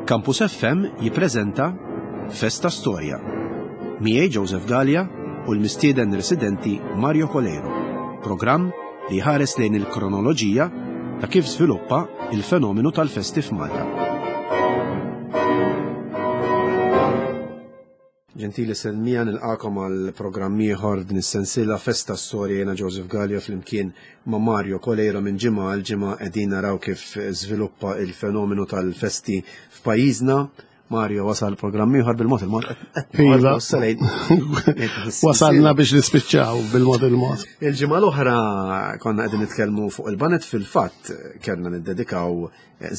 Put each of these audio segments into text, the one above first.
Campus FM jippreżenta Festa Storja. Miegħi Joseph Galea u l-mistieden residenti Mario Coleiro. Programm li jħares lejn il-kronoloġija ta' kif żviluppa il-fenomenu tal-festi f'Malta. Ġentili Selmija nilqakom għal programm ieħor din is-sensiela Festa Storja jiena Joseph Gallia flimkien ma' Mario Coleiro minn ġimgħa għal ġimgħa qegħdin naraw kif żviluppa il-fenomenu tal-festi f'pajjiżna. Mario wasal programm ieħor bil-mod il-mod. Iva. Wasalna biex nispiċċaw bil-mod il-mod. Il-ġimgħa l-oħra konna qegħdin nitkellmu fuq il-banet fil-fatt kellna niddedikaw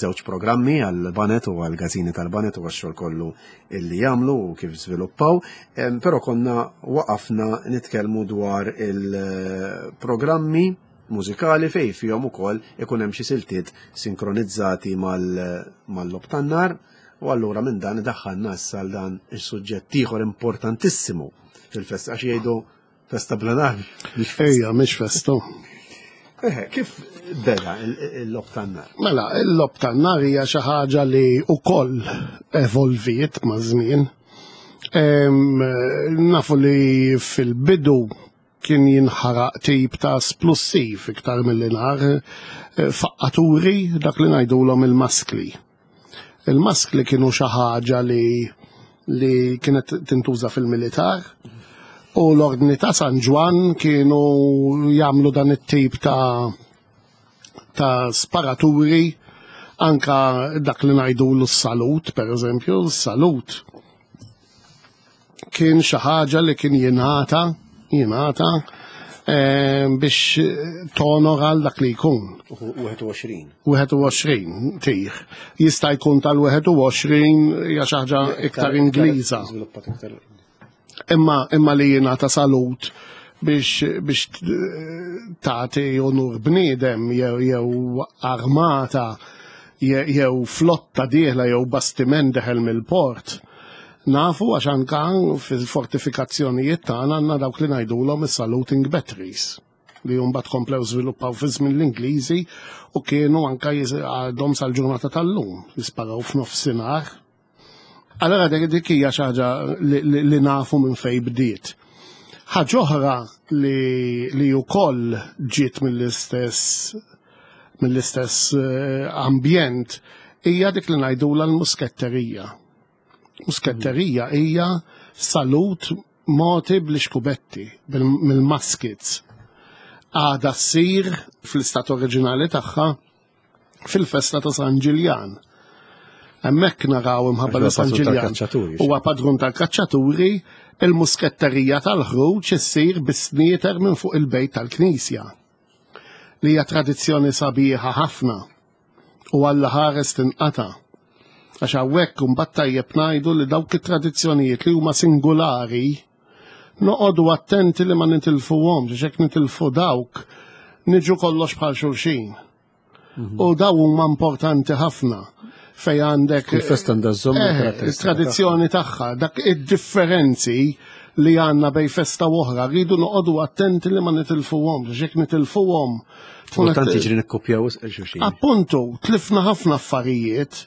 żewġ programmi għal banet u għal gazini tal-banet u għax-xogħol kollu illi jagħmlu u kif żviluppaw, però konna waqafna nitkellmu dwar il-programmi mużikali fej fihom ukoll ikun hemm xi siltiet sinkronizzati mal-lob tan-nar u allura minn dan daħħalna issa għal dan is-suġġett ieħor importantissimu fil-festa għax jgħidu Festa bla nar. Ejja, mhix festa. Eh, kif beda il-lob tan-nar? Mela, il-lob tan-nar hija xi ħaġa li wkoll evolviet ma' żmien. Nafu li fil-bidu kien jinħaraq tip ta' splussiv iktar mill nar eh, faqqaturi dak li ngħidulhom il-maskli. Il-maskli kienu xi ħaġa li li kienet tintuża fil-militar u l-ordni ta' San Ġwann kienu jagħmlu dan it-tip ta' ta' sparaturi anka dak li ngħidu l-salut, per eżempju, s-salut kien xi ħaġa li kien jingħata jingħata eh, biex tonora għal dak li jkun. 21. 21 tih. Jista' jkun tal-21 hija xi ħaġa iktar Ingliża. Imma imma li jingħata salut biex biex tagħti onur bniedem jew jew armata jew flotta dieħla jew bastiment deħel mill-port. Nafu għax anka fil-fortifikazzjonijiet tagħna għandna dawk li ngħidulhom is-saluting batteries li mbagħad komplew żviluppaw fi żmien l-Ingliżi u kienu anka għadhom sal-ġurnata tal-lum jisparaw f'nofsinhar. Allora dik dik hija xi ħaġa li nafu minn fejn bdiet. Ħaġa oħra li li wkoll ġiet mill-istess mill-istess eh, ambjent hija dik li ngħidulha l-musketterija. Musketterija hija salut moti bl-ixkubetti, mill-muskets. Għada ssir fl-istat oriġinali tagħha fil-festa ta' San Ġiljan. Hemmhekk naraw imħabba li San Ġiljan huwa padrun tal-kaċċaturi, il-musketterija tal-ħruġ issir bis-snieter minn fuq il-bejt tal-knisja. Li hija tradizzjoni sabiħa ħafna. u Alla ħares tinqata'. Għax hawnhekk imbagħad tajjeb ngħidu li dawk it-tradizzjonijiet li huma singulari noqogħdu attenti li ma nitilfuhomx għax jekk nitilfu dawk niġu kollox bħal xulxin. Mhm. U daw huma importanti ħafna fej għandek il-festa għandha żomm eh, tradizzjoni tagħha, dak id-differenzi li għandna bej festa oħra, rridu noqogħdu attenti li ma nitilfuhomx, għax jekk nitilfuhom Kultant jiġri nikkopjaw xulxin. Appuntu, tlifna ħafna affarijiet.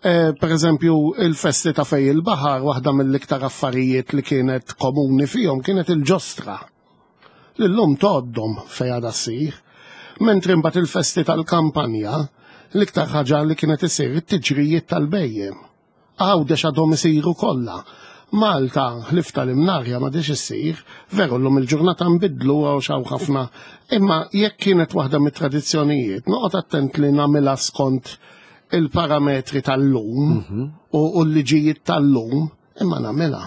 Eh, per eżempju, il-festi ta' fej il-baħar, waħda mill-iktar affarijiet li kienet komuni fihom kienet il-ġostra. L-lum toddom fej għada ssir. Mentri mbagħad il-festi tal-kampanja, l-iktar ħaġa li kienet isir it-tiġrijiet tal-bejjem. Għawdex għadhom isiru kollha. Malta, ħlief tal-Imnarja m'għadhiex issir, veru llum il-ġurnata nbidlu għax hawn ħafna, imma jekk kienet waħda mit-tradizzjonijiet, noqgħod attent li nagħmilha skont il-parametri tal-lum mhm. u l-liġijiet tal-lum, imma nagħmilha.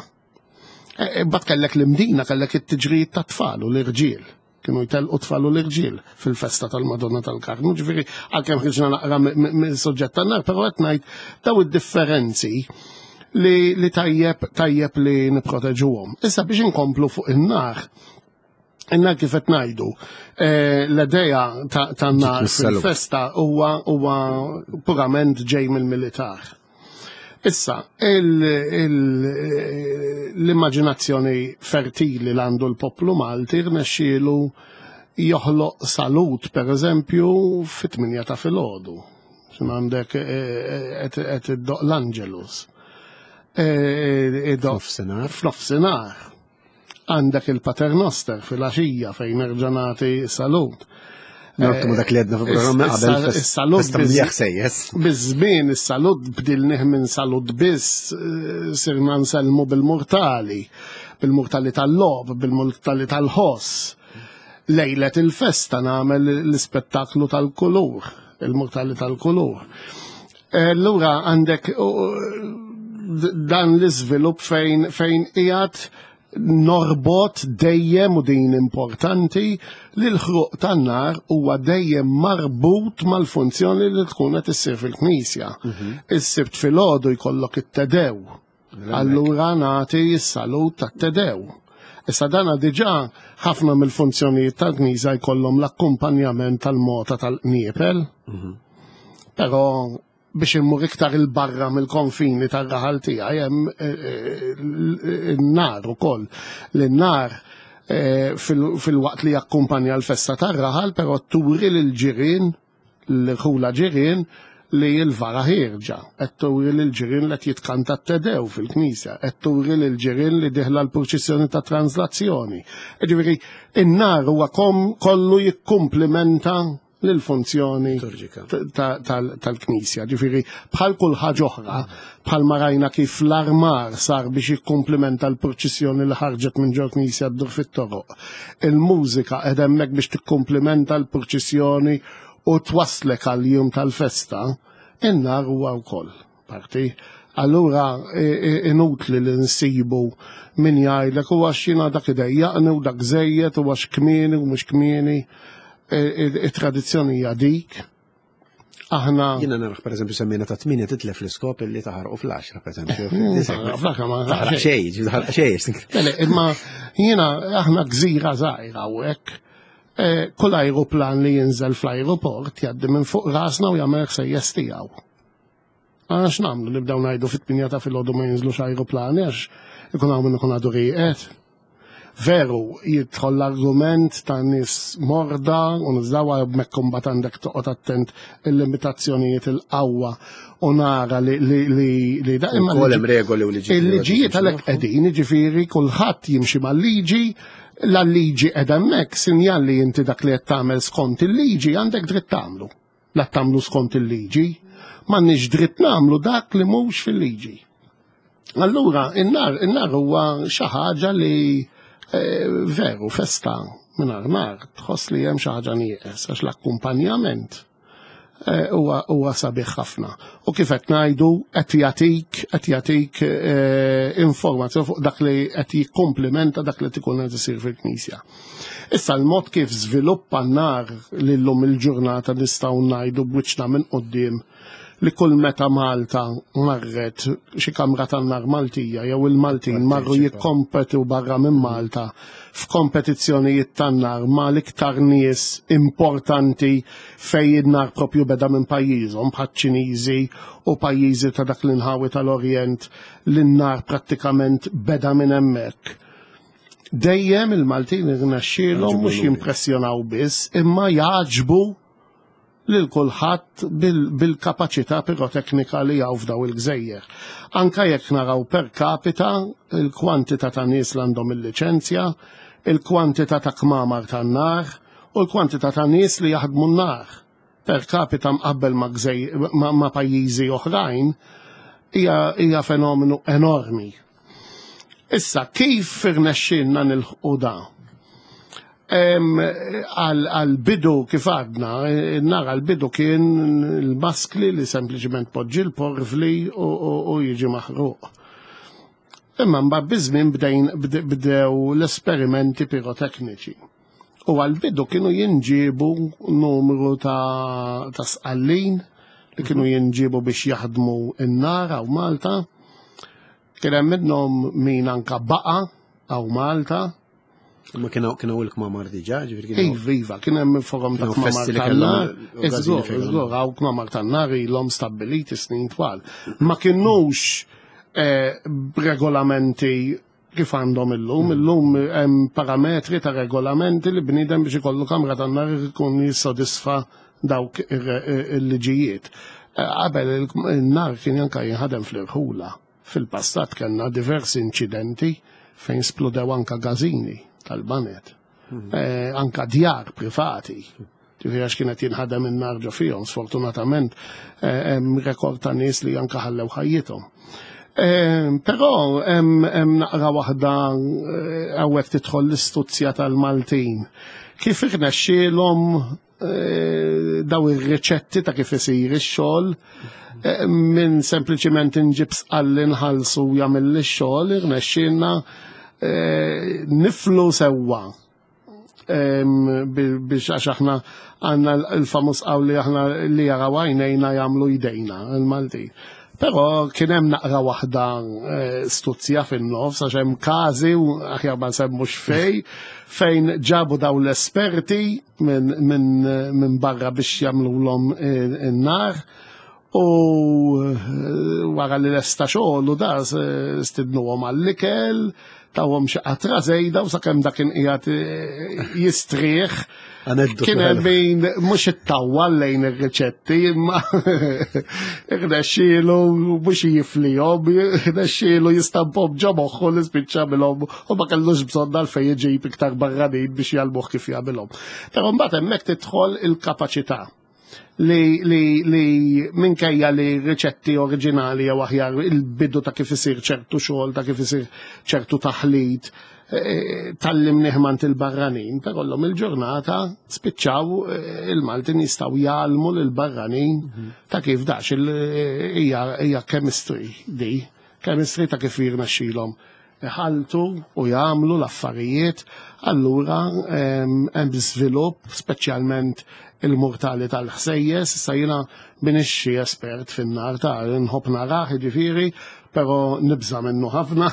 E, e, bat kellek l-imdina, kellek it-tiġrijiet tat-tfal u l-irġiel. Kienu jtellqu tfal u l-irġiel fil-festa tal-Madonna tal-Karmu, ġifieri għalkemm ħriġna naqra mill-suġġett tan-nar, però qed ngħid daw id-differenzi li, li tajjeb tajjeb li nipproteġuhom. Issa biex inkomplu fuq in-nar, in-nar kif qed ngħidu, eh, l-idea tan-nar fil-festa huwa huwa purament ġej mill-militar. Issa, l-immaġinazzjoni fertili l għandu l-poplu Malti rnexxielu joħloq salut, per eżempju, fit-8 ta' filgħodu. X'in għandek qed iddoq l-Angelus. F'nofsinhar. F'nofsinhar. Għandek il-Paternoster fil-għaxija fejn nerġa' nagħti salut. Norbtu ma dak li għedna fil-programm qabel. Is-salut sejjes. Biż-żmien is-salut bdilnih minn salut biss sirna nsellmu bil-murtali, bil-murtali tal-logħob, bil-murtali tal-ħoss. Lejlet il-festa nagħmel l-ispettaklu tal-kulur, il-murtali tal-kulur. Allura għandek dan l-iżvilupp fejn fejn qiegħed norbot dejjem u din importanti li l-ħruq tan-nar huwa dejjem marbut mal-funzjoni li tkun qed issir fil-knisja. Is-Sibt filgħodu jkollok it-Tedew. Allura nagħti s-salut tat-Tedew. Issa dana diġà ħafna mill-funzjonijiet tal-knisja jkollhom l-akkumpanjament tal-mota tal-qniepel. Però biex immur iktar il-barra mill-konfini tar-raħal tiegħi hemm in-nar ukoll. L-nar fil-waqt li jakkumpanja l-festa tar-raħal, però turi lil ġirien, l-ħula ġirien li l-vara ħierġa, qed turi lil ġirien li qed jitkanta t-Tedew fil-knisja, qed turi lil ġirien li diħla l-purċissjoni ta' translazzjoni. Ġifieri, in-nar huwa kollu jikkumplimenta l-funzjoni tal-Knisja. Ġifieri, bħal kull ħaġa oħra, bħal ma rajna kif l-armar sar biex jikkumplimenta l-purċissjoni li ħarġet minn ġol Knisja ddur fit-toroq. Il-mużika qed hemmhekk biex tikkumplimenta l-purċissjoni u twaslek għal jum tal-festa, in-nar huwa wkoll parti. Allura inutli li nsibu min jgħidlek u għax jiena dak idejjaqni u dak żejjed u għax kmieni u mhux kmieni. It-tradizzjoni hija dik. Aħna Jiena naraħ pereżempju semmejna ta' 8 titlef l-iskop illi taħarqu fl-10 pereżempju. Fl-10 ma taħraq xejn, taħraq xejn. Imma jiena aħna gżira żgħira u hekk. Kull ajruplan li jinżel fl-ajruport jgħaddi minn fuq rasna u jagħmel ħsejjes tiegħu. Għax nagħmlu nibdew ngħidu fit-8 ta' filgħodu ma jinżlux ajruplani għax ikun hawn min ikun għadu rieqed. Veru, jidħol l-argument ta' nies morda u nizdawa hemmhekk imbagħad għandek toqgħod attent il-limitazzjonijiet il-qawwa u nara li li li li da imma Ukoll hemm regoli u liġijiet. Il-liġijiet għalhekk qegħdin, jiġifieri kulħadd jimxi mal-liġi, la liġi qiegħda hemmhekk sinjal li inti dak li qed tagħmel skont il-liġi għandek dritt tagħmlu. La tagħmlu skont il-liġi, m'għandniex dritt nagħmlu dak li mhux fil-liġi. Allura, in-nar huwa xi ħaġa li veru festa mingħajr nar, tħoss li hemm xi ħaġa nieqes għax l-akkumpanjament huwa sabiħ ħafna. U kif qed ngħidu qed jagħtik informazzjoni fuq dak li qed jikkumplimenta dak li tkun qed isir fil-Knisja. Issa l-mod kif żviluppa n-nar li llum il-ġurnata nistgħu ngħidu b'wiċċna minn quddiem li kull meta Malta marret xi kamra tan-nar Maltija jew il-Maltin marru jikkompetu barra minn Malta f'kompetizzjonijiet tan-nar ma l-iktar nies importanti fejn in-nar propju beda minn pajjiżhom bħal Ċiniżi u pajjiżi ta' dak l-inħawi tal-Orjent li n-nar prattikament beda minn hemmhekk. Dejjem il-Maltin irnexxielhom mhux jimpressjonaw biss imma jagħġbu lil kulħadd bil-kapaċità piroteknika li hawn f'daw il-gżejjer. Anka jekk naraw per capita il-kwantità ta' nies li għandhom il-liċenzja, il-kwantità ta' kmamar tan-nar u l-kwantità ta' nies li jaħdmu n-nar. Per capita mqabbel ma' pajjiżi oħrajn hija fenomenu enormi. Issa, kif irnexxielna nilħqu da? Għal-bidu kif għadna, nara l-bidu kien il-maskli li sempliċement poġġi l-porvli u jiġi maħruq. Imma mbagħad biż-żmien bdew l-esperimenti pirotekniċi. U għal-bidu kienu jinġibu numru ta' sqallin li kienu jinġibu biex jaħdmu n-nar hawn Malta. Kien hemm minnhom min anka baqa' hawn Malta. Ma kienu il-kmamar diġà, ġifieri kienu. Iva, iva, kien hemm forom ta' Kienu kmamar festi li tan-nar. kellhom l-okkażjoni Iżgur, fejn iżgur, hawn kmamar tan-nar ilhom stabbiliti snin twal. Ma kinux b'regolamenti kif għandhom illum. Illum hemm parametri ta' regolamenti li bniedem biex ikollu kamra tan-nar ikun jissodisfa dawk il-liġijiet. Qabel il-nar kien anka jinħadem fl-irħula. Fil-passat kellna diversi inċidenti fejn splodew anka gażini tal-baned. Anka djar privati. Ġifieri għax kienet jinħadem in-nar ġo fihom, sfortunatament hemm rekord ta' nies li anka ħallew ħajjithom. Però hemm naqra waħda hawnhekk tidħol l-istuzzja tal-Maltin. Kif irnexxielhom daw ir-riċetti ta' kif isir ix-xogħol minn sempliċiment inġib sqalli nħallsu jagħmel ix-xogħol irnexxielna niflu sewwa biex għax aħna għandna l-famuż qawli aħna li jaraw għajnejna jagħmlu jdejna il-Maltin. Però kien hemm naqra waħda stuzzja fin-nofs għax hemm każi u aħjar ma nsemmux fej fejn ġabu daw l-esperti minn barra biex jagħmluhom in-nar u wara li lesta xogħol u da stidnuhom għall-ikel, tawhom xi qatra żejda u sakemm dak kien qiegħed jistrieħ. Kien hemm min mhux ittawwal lejn ir-riċetti imma irnexxielu mhux jiflihom, irnexxielu jistamphom ġo moħħu li spiċċa milhom u ma kellux bżonn għalfejn iġib iktar barranin biex jgħallmuh kif jagħmilhom. Però mbagħad hemmhekk tidħol il-kapaċità li li li minkejja li riċetti oriġinali jew aħjar il-bidu ta' kif isir ċertu xogħol, ta' kif isir ċertu taħlit, tgħallimnieh mant il-barranin, però llum il-ġurnata spiċċaw il-Maltin jistgħu jgħallmu lill-barranin ta' kif dax hija chemistry di, chemistry ta' kif jirnexxilhom iħaltu u jagħmlu l-affarijiet, allura hemm żvilupp speċjalment il-murtali tal-ħsejjes, issa jiena m'iniex xi espert fin-nar ta' nħobb narah jiġifieri, però nibża' minnu ħafna,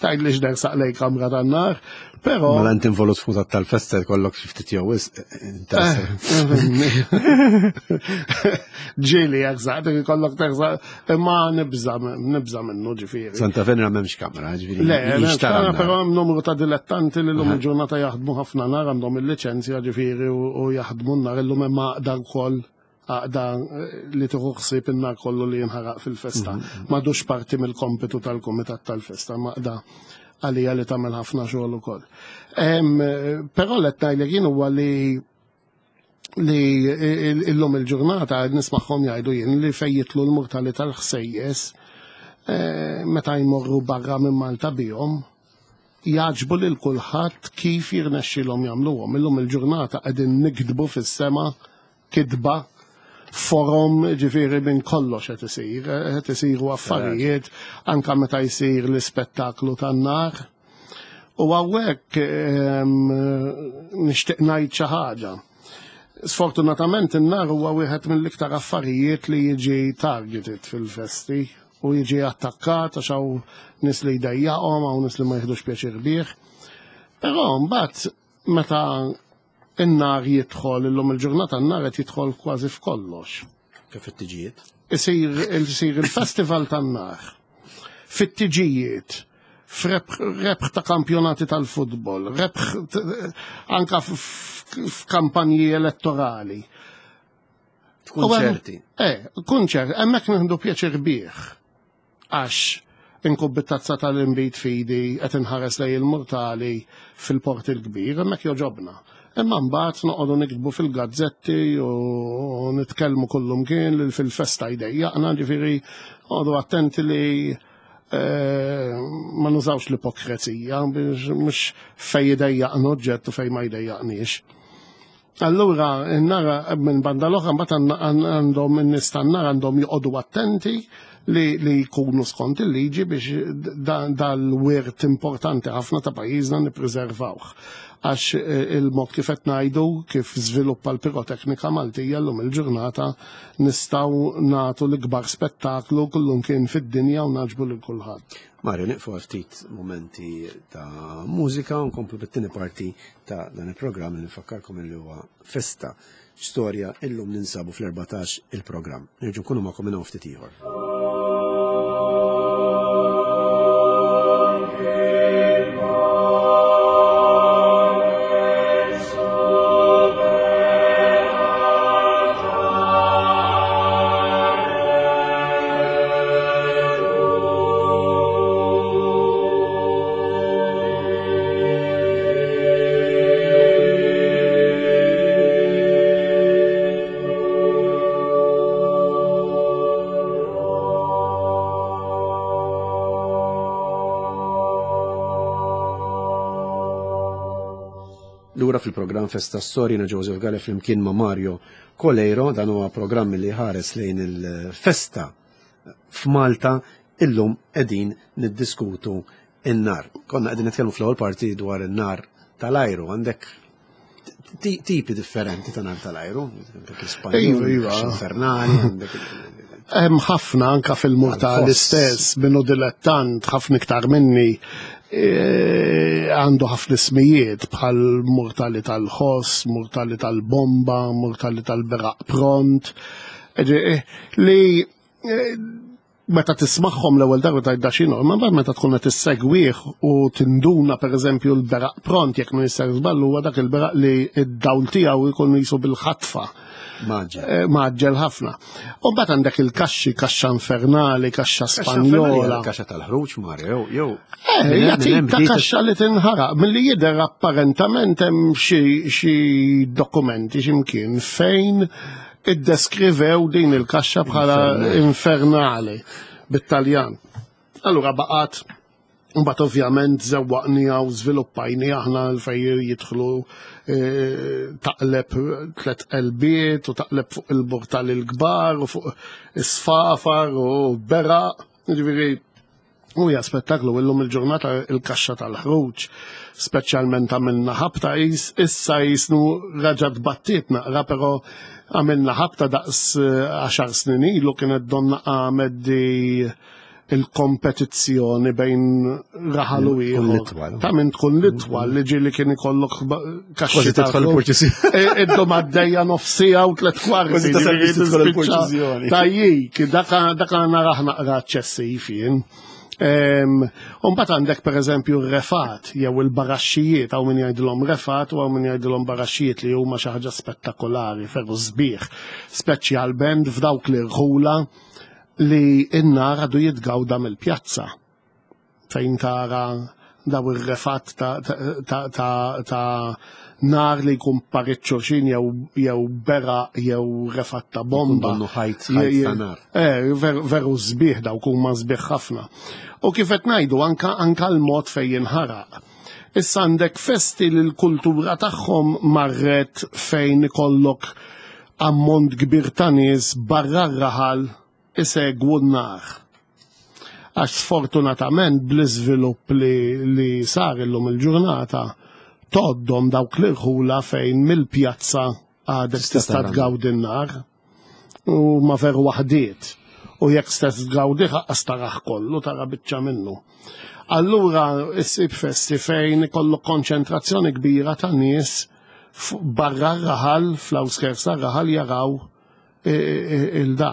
tgħidlix nersaq lejn kamra tan-nar, però. Mela inti involut f'kutat tal-festa jkollok xi ftit jew wisq interess. Ġieli jersaq, ikollok tersaq, imma nibża' nibża' minnu ġifieri. Santa Venera m'hemmx kamra, ġifieri. Le, m'hemmx kamra, però hemm numru ta' dilettanti li llum il-ġurnata jaħdmu ħafna nar għandhom il-liċenzja ġifieri u jaħdmu n-nar illum hemm għaqda wkoll għaqda li tieħu ħsieb in-nar kollu li jinħaraq fil-festa. M'għadux parti mill-kompitu tal-kumitat tal-festa, għaqda għalija li tagħmel ħafna xogħol ukoll. Però qed ngħidlek jien huwa li li illum il-ġurnata nismagħhom jgħidu jien li fejn jitlu l-murtali tal-ħsejjes meta jmorru barra minn Malta bihom jagħġbu lil kulħadd kif jirnexxilhom jagħmluhom. Illum il-ġurnata qegħdin nikdbu fis-sema kitba forom ġifieri minn kollox qed isir, qed isiru affarijiet anka meta jsir l-ispettaklu tan-nar. U hawnhekk nixtieq ngħid xi ħaġa. Sfortunatament in-nar huwa wieħed mill-iktar affarijiet li jiġi targeted fil-festi u jiġi attakkat għax hawn nies li jdejjaqhom, hawn nies li ma jieħdux pjaċir bih. Però mbagħad meta in-nar jidħol illum il-ġurnata n-nar qed jidħol kważi f'kollox. Kif it-tiġijiet? Isir il-festival tan-nar. Fit-tiġijiet, f'rebħ ta' kampjonati tal-futbol, rebħ anka f'kampanji elettorali. Kunċerti. Kunċert, hemmhekk nieħdu pjaċir bih. Għax inkun bit-tazza tal-inbid fidi qed inħares lejn il-murtali fil-Port il-Kbir, hemmhekk joġobna. Imma mbagħad noqogħdu niktbu fil-gazzetti u nitkellmu kullumkien li fil-festa jdejjaqna, ġifieri noqogħdu attenti li ma nużawx l-ipokrezija biex mhux fejn jdejjaqna oġġett u fejn ma jdejjaqniex. Allura, n-nara minn banda l-oħra mbagħad għandhom in-nies tan-nar għandhom joqogħdu attenti li jkunu skont il-liġi biex dal-wirt importanti ħafna ta' pajjiżna nippreservawh. Għax il-mod kif qed ngħidu kif żviluppa l-piroteknika Maltija llum il-ġurnata nistgħu nagħtu l-ikbar spettaklu kullumkien fid-dinja u nagħġbu lil kulħadd. Mario, nieqfu għal ftit momenti ta' mużika u nkomplu bit-tieni parti ta' dan il-programm li nfakkarkom li huwa Festa Storja illum ninsabu fl-14 il-programm. Nerġgħu nkunu magħkom minn hawn ftit ieħor. lura fil-programm Festa Storja na Joseph Gale flimkien ma' Mario Coleiro, dan huwa programm li ħares lejn il-festa f'Malta illum qegħdin niddiskutu in-nar. Konna qegħdin nitkellmu fl-ewwel parti dwar in-nar tal-ajru, għandek tipi differenti ta' nar tal-ajru, għandek l-Ispanjol, Iva, iva. infernali, għandek Hemm ħafna anka fil-murtali Għal-ħoss. stess minnu dilettant ħafna iktar minni għandu ħafna ismijiet bħal murtali tal-ħoss, murtali tal-bomba, murtali tal-beraq pront. Li meta tismagħhom l-ewwel darba tgħid da x'inhu, imma mbagħad meta tkun qed issegwih u tinduna pereżempju l-beraq pront jekk ma jistax żball huwa dak il-beraq li d-dawl tiegħu jkun jisu bil-ħatfa. Maġġel. Maġġel ħafna. U mbagħad għandek il-kaxxi, kaxxa infernali, kaxxa Spanjola. Kaxxa tal-ħruġ, Mario, jew. Hija tip ta' kaxxa li tinħaraq. Milli jidher apparentament hemm xi dokumenti x'imkien fejn iddeskrivew din il-kaxxa bħala infernali bit-Taljan. Allura baqgħet, mbagħad ovvjament żewwaqniha u żviluppajni aħna fejn jidħlu taqleb tliet qelbiet u taqleb fuq il-burtal il-kbar u fuq is-sfafar u beraq. Ġifieri u hija spettaklu illum il-ġurnata il-kaxxa tal-ħruġ, speċjalment għamilna ħabta issa jisnu raġa tbattiet naqra, però għamilna ħabta daqs 10 snin ilu kienet donna għamed di il-kompetizzjoni bejn raħal u Tkun ieħor. l-itwal. Ta' min tkun l-itwal li ġieli kien ikollok kaxxi Kważi tidħol tal-ħruġ. il-purċissjoni. Iddum għaddejja nofsija u tliet kwarti. Kważi tasal biex tidħol Tispiċċa il-purċissjoni. Tajjik, daka naraħ naqra eċċessiv jien. U mbagħad għandek pereżempju r-refat jew il-baraxxijiet, hawn min jgħidilhom refat u hawn min jgħidilhom baraxxijiet li huma xi ħaġa spettakolari, ferru sbieħ, speċjalment f'dawk li rħula li n-nar għadu jitgawda mill-pjazza fejn tara daw ir-refat ta' nar li jkun parit xulxin jew bera jew refat ta' bomba. Donnu ħajt ta' nar. Veru sbieħ dawk huma sbieħ ħafna. U kif qed ngħidu anka l-mod fejn jinħaraq. Issa għandek festi li l-kultura tagħhom marret fejn ikollok ammont kbir ta' nies barra r-raħal isegwu n-nar. Għax sfortunatament bl-iżvilupp li sar illum il-ġurnata toddom dawk l-irħula fejn mill-pjazza għadek Tista' tista' tara. tgawdi n-nar u ma veru waħdiet. U jekk stess tgawdi ħaqqas taraħ kollu, tara biċċa minnu. Allura issib festi fejn ikollok konċentrazzjoni kbira ta' nies barra r-raħal, fl-outskirts tar-raħal jaraw il-da.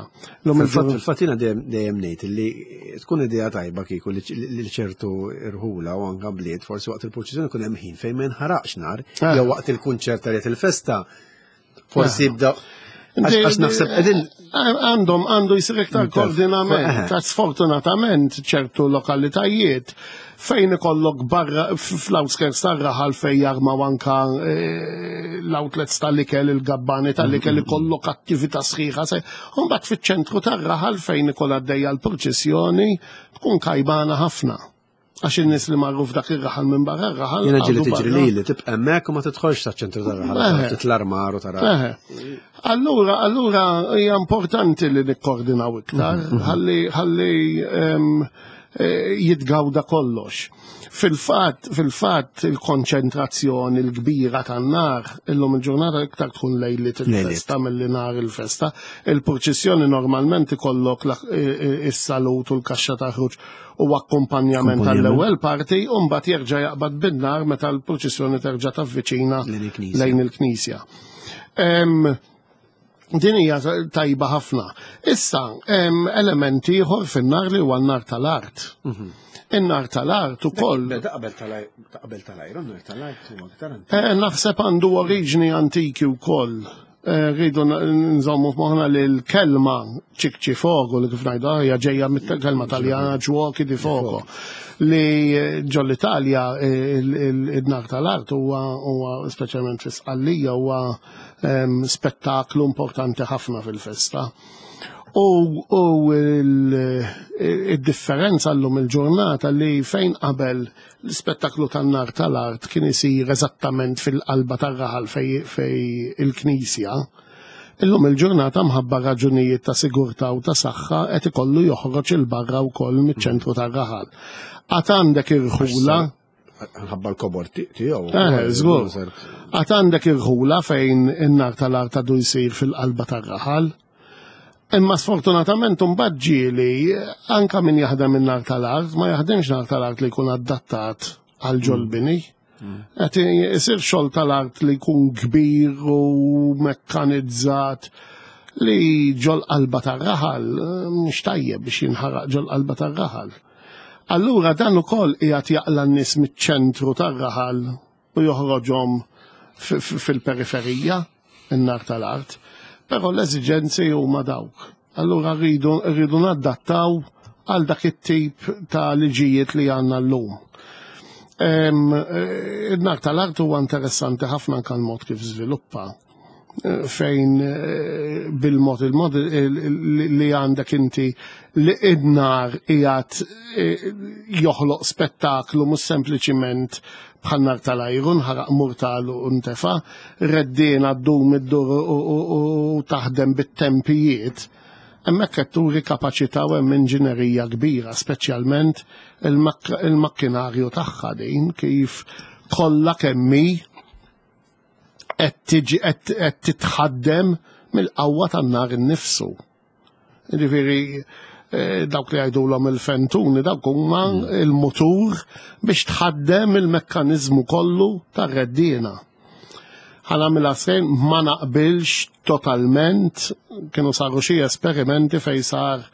L-lum il-ġurnata- Fil-fatt jiena dejjem ngħid li tkun idea tajba kieku li ċertu irħula u anka bliet forsi waqt il-purċissjoni ikun hemm ħin fejn ma jinħaraqx nar, jew waqt il-kunċert tal il-festa forsi jibda għax naħseb qegħdin Għandu jsir iktar koordinament. Ta' sfortunatament ċertu lokalitajiet fejn ikollok barra fl-outskirts tar-raħal fejn jarmaw anka l-outlets tal-ikel, il-gabbani tal-ikel, ikollok attività sħiħa. U mbagħad fiċ-ċentru tar-raħal fejn ikoll għaddejja l-purċissjoni tkun kajbana ħafna. Għax in-nies li marru f'dak ir-raħal minn barra r-raħal Jiena ġieli għadu tiġri barra. lili tibqa' hemmhekk u ma tidħolx saċ-ċentru tar-raħal, titl-armar u tara. Allura hija importanti li nikkoordinaw iktar, ħalli jitgawda kollox. Fil-fatt il-konċentrazzjoni l-kbira tan-nar illum il-ġurnata iktar tkun lejliet il-festa milli nar il-festa. Il-purċissjoni normalment ikollok is-salut u l-kaxxa ta' ħruġ u akkumpanjament tal-ewwel parti, u mbagħad jerġa' jaqbad bin-nar meta l-purċissjoni terġa' tavviċina Lejn il-knisja. lejn il-knisja. Din hija tajba ħafna. Issa, hemm elementi ieħor fin-nar li huwa n-nar tal-art. In-nar tal-art ukoll. Ta' qabel tal-ajru, n-nar tal-art huwa aktar antik. Naħseb għandu oriġni antiki wkoll. Rridu nżommu f'moħħna li l-kelma ċikċi fogo li kif ngħidu hija ġejja mit-kelma Taljana giochi di fuoco. Li ġol-Italja il-nar tal-art huwa speċjalment fi Sqallija huwa spettaklu importanti ħafna fil-festa. U, u il-differenza llum il-ġurnata li fejn qabel l-ispettaklu tan-nar tal-art kien isir eżattament fil-qalba tar-raħal fej, fej il-knisja, illum il-ġurnata mħabba raġunijiet ta' sigurtà u ta' saħħa qed ikollu joħroġ il-barra wkoll miċ-ċentru tar-raħal. Għad għandek irħula Ħabba l-kobor tiegħu. Eh, żgur. Għad għandek irħula fejn in-nar tal-art għadu jsir fil-qalba tar-raħal. Imma sfortunatament imbagħad ġieli anka min jaħdem in-nar tal-art ma jaħdemx nar tal-art li jkun adattat għal ġol-bini. Qed isir xogħol tal-art li jkun kbir u mekkanizzat li ġol qalba tar-raħal mhux tajjeb biex jinħaraq ġol qalba tar-raħal. Allura dan ukoll qiegħed jaqla' n-nies miċ-ċentru tar-raħal u joħroġhom fil-periferija in-nar tal-art. Però l-eżiġenzi huma dawk. Allura rridu rridu nadattaw għal dak it-tip ta' liġijiet li għandna llum. In-nar tal-art huwa interessanti ħafna anke l-mod kif żviluppa fejn eh, bil-mod il-mod li għandek inti li id-nar qiegħed eh, joħloq spettaklu mhux sempliċiment bħal nar tal-ajru nħaraq murtal u ntefa, reddina ddum iddur u taħdem bit-tempijiet. Hemmhekk qed turi kapaċità u hemm inġinerija kbira, speċjalment il-makkinarju tagħha din kif kollha kemm hi qed tiġi qed titħaddem mill-qawwa tan-nar innifsu. Jiġifieri eh, dawk li jgħidulhom il-fentuni dawk huma mm. il-mutur biex tħaddem il-mekkaniżmu kollu tar-reddiena. Ħanamilha sejn ma naqbilx totalment kienu saru xi esperimenti fejn sar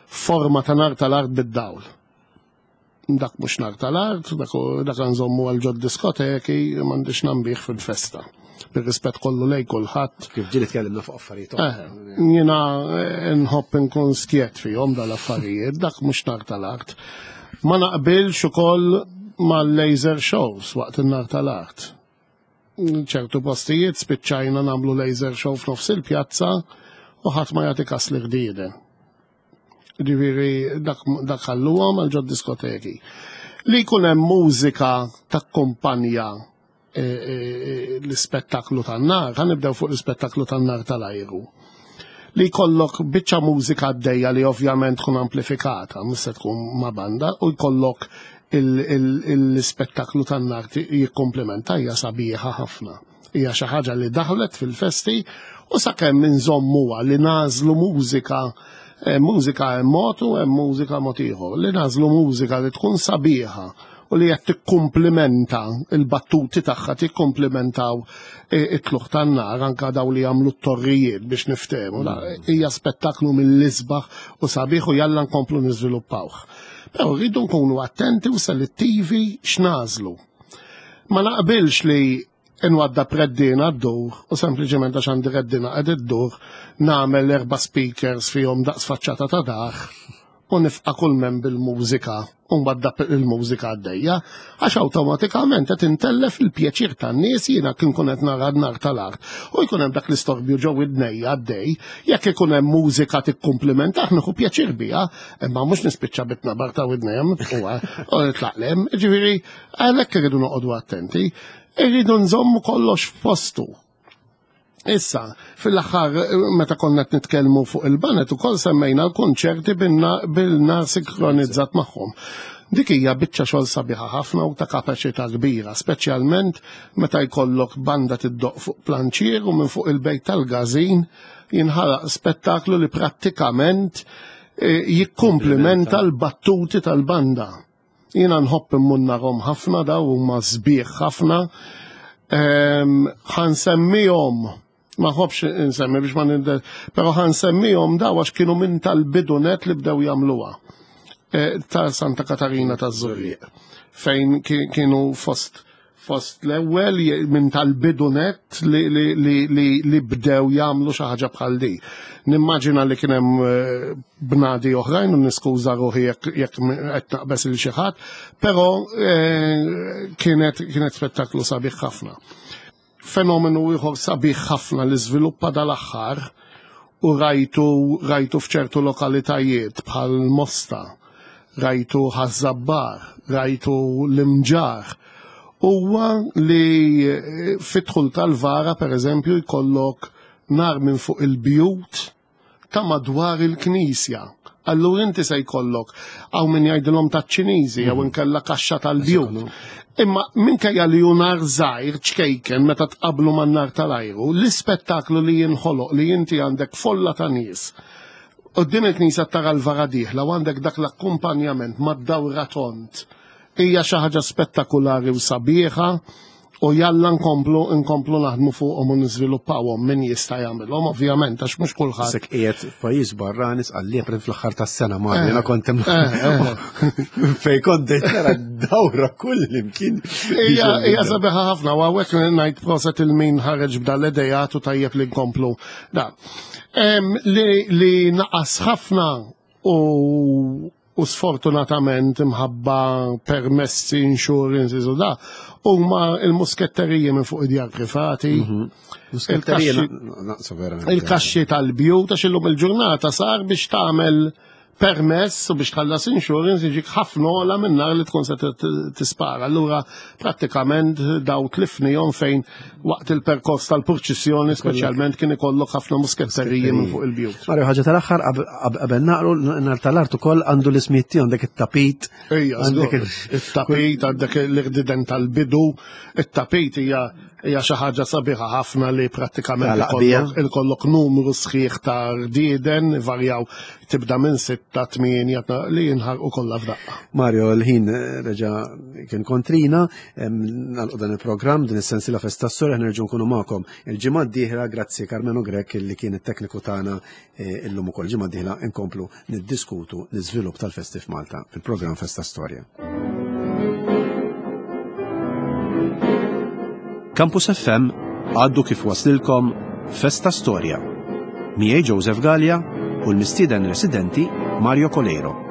forma ta' nar tal-art bid-dawl. Dak mhux nar tal-art, dak nżommu għal ġod diskoteki, m'għandix nambih fil-festa. Bir-rispett kollu lej kulħadd. Kif ġieli tkellimna fuq affarijiet. Eh, jiena eh, nħobb inkun skjet fihom dal-affarijiet, dak mhux nar tal-art. Ma naqbilx ukoll mal-laser shows waqt in-nar tal-art. ċertu postijiet spiċċajna nagħmlu laser show f'nofs il-pjazza u ħadd ma jagħti kas li ħdieden. Ġifieri dak dak ħalluhom għal ġod diskoteki. Li jkun hemm mużika takkumpanja e, e, e, l-ispettaklu tan-nar, ħa nibdew fuq l-ispettaklu tan-nar tal-ajru. Li jkollok biċċa mużika għaddejja li ovvjament tkun amplifikata, mhux se tkun ma' banda, u jkollok l-ispettaklu tan-nar jikkumplimenta hija sabiħa ħafna. Hija xi ħaġa li daħlet fil-festi u sakemm inżommuha li nagħżlu mużika eh, mużika hemm mod u hemm mużika mod ieħor. Li nagħżlu mużika li tkun sabiħa u li qed tikkumplimenta il-battuti tagħha tikkumplimentaw eh, it-tluħ tan-nar anka daw li jagħmlu t-torrijiet biex niftehmu. Mm. Hija spettaklu mill-isbaħ u sabiħ u jalla nkomplu niżviluppawh. Però rridu nkunu attenti u selettivi x'nażlu. Ma naqbilx li nwadda preddina ddur u sempliċement għax għandi reddina qed iddur nagħmel erba' speakers fihom daqs faċċata ta' dar u nifqa' kull mem bil-mużika u nwadda il-mużika għaddejja għax awtomatikament qed intellef il-pjaċir tan-nies jiena kien kun qed nara nar tal-art u jkun hemm dak l-istorbju ġew id-dnejja għaddej jekk ikun hemm mużika tikkumplimentah nieħu pjaċir biha imma mhux nispiċċa bitnabar ta' widnejja u nitlaqlem ġifieri Għalhekk irridu noqogħdu attenti, irridu nżommu kollox f'postu. Issa, fil-aħħar meta konna qed nitkellmu fuq il-banet ukoll semmejna l-kunċerti bil-nar sinkronizzat magħhom. Dik hija biċċa xogħol sabiħa ħafna u ta' kapaċità kbira, speċjalment meta jkollok banda tiddoq fuq planċier u minn fuq il-bejt tal-gażin jinħalaq spettaklu li prattikament eh, jikkumplimenta l-battuti tal-banda. Jiena nħobb immunnarhom ħafna daw huma sbieħ ħafna. Ehm, ħansemmihom ma ħobx insemmi biex ma nindel, pero ħansemmihom daw għax kienu minn tal-bidunet li bdew jagħmluha. E, ta' Santa Katarina ta' Zurriq, fejn kienu fost fost l-ewwel minn tal-bidu net li, li, li, li, li bdew jagħmlu xi ħaġa bħal di. Nimmaġina li kien hemm eh, bnadi oħrajn u niskuża ruħi jekk qed naqbes il xi ħadd, però eh, kienet kienet spettaklu sabiħ ħafna. Fenomenu ieħor sabiħ ħafna li żviluppa dal-aħħar. U rajtu rajtu f'ċertu lokalitajiet bħal Mosta, rajtu Ħaż-Żabbar, rajtu l-Imġarr, huwa li fid-dħul tal-vara pereżempju jkollok nar minn fuq il-bjut ta' madwar il-knisja. Allura inti se jkollok hawn min jgħidilhom taċ-Ċiniżi jew inkella kaxxa tal-bjut. Imma minkejja li hu nar żgħir ċkejken meta tqabblu man-nar tal-ajru, l-ispettaklu li jinħoloq li inti għandek folla ta' nies quddiem il-knisja tara l-vara dieħla u għandek dak l-akkumpanjament mad-dawra tond hija xi ħaġa spettakulari u sabiħa u jalla nkomplu nkomplu naħdmu fuqhom u niżviluppawhom min jista' jagħmilhom ovvjament għax mhux kulħadd. Sek qiegħed f'pajjiż barrani sqallieb fl-aħħar tas-sena ma eh, jiena kont hemm eh, eh. fejn kont tara dawra kull imkien. Hija hija sabiħa ħafna u hawnhekk ngħid proset il-min ħareġ b'dan l-idejat u tajjeb li nkomplu. Da. Li naqas ħafna u u sfortunatament imħabba permessi, insurances u da, huma il-musketteriji minn fuq id-djar privati. Mhm. Il-kaxxi tal-bjut, għax illum il-ġurnata sar biex tagħmel permess u biex tħallas insurance jiġik ħafna ola minn nar li tkun se tispara. Allura prattikament daw tlifnihom fejn waqt il-perkors tal-purċissjoni speċjalment kien ikollok ħafna musketteriji minn fuq il-bjut. Mario, ħaġa tal-aħħar qabel naqru nar tal-art ukoll għandu l-ismijiet tiegħu għandek it-tapit. Ejja, it-tapit għandek l-irdiden tal-bidu, it-tapit hija hija xi ħaġa sabiħa ħafna li prattikament ikollok numru sħiħ ta' rdieden varjaw tibda minn sitta, tmienja li jinħarqu kollha f'daqqa. Mario, l-ħin eh, reġa' kien kontrina, nagħlqu dan il-programm din is-sensiela Festa Storja nerġgħu nkunu magħkom il-ġimgħa d-dieħla grazzi Carmenu Grech li kien it-tekniku tagħna eh, illum ukoll ġimgħa d-dieħla nkomplu niddiskutu l-iżvilupp tal-festi f'Malta fil-programm Festa Storja. Campus FM għaddu kif waslilkom Festa Storja. Miegħi Joseph Gallia u l-mistieden residenti Mario Coleiro.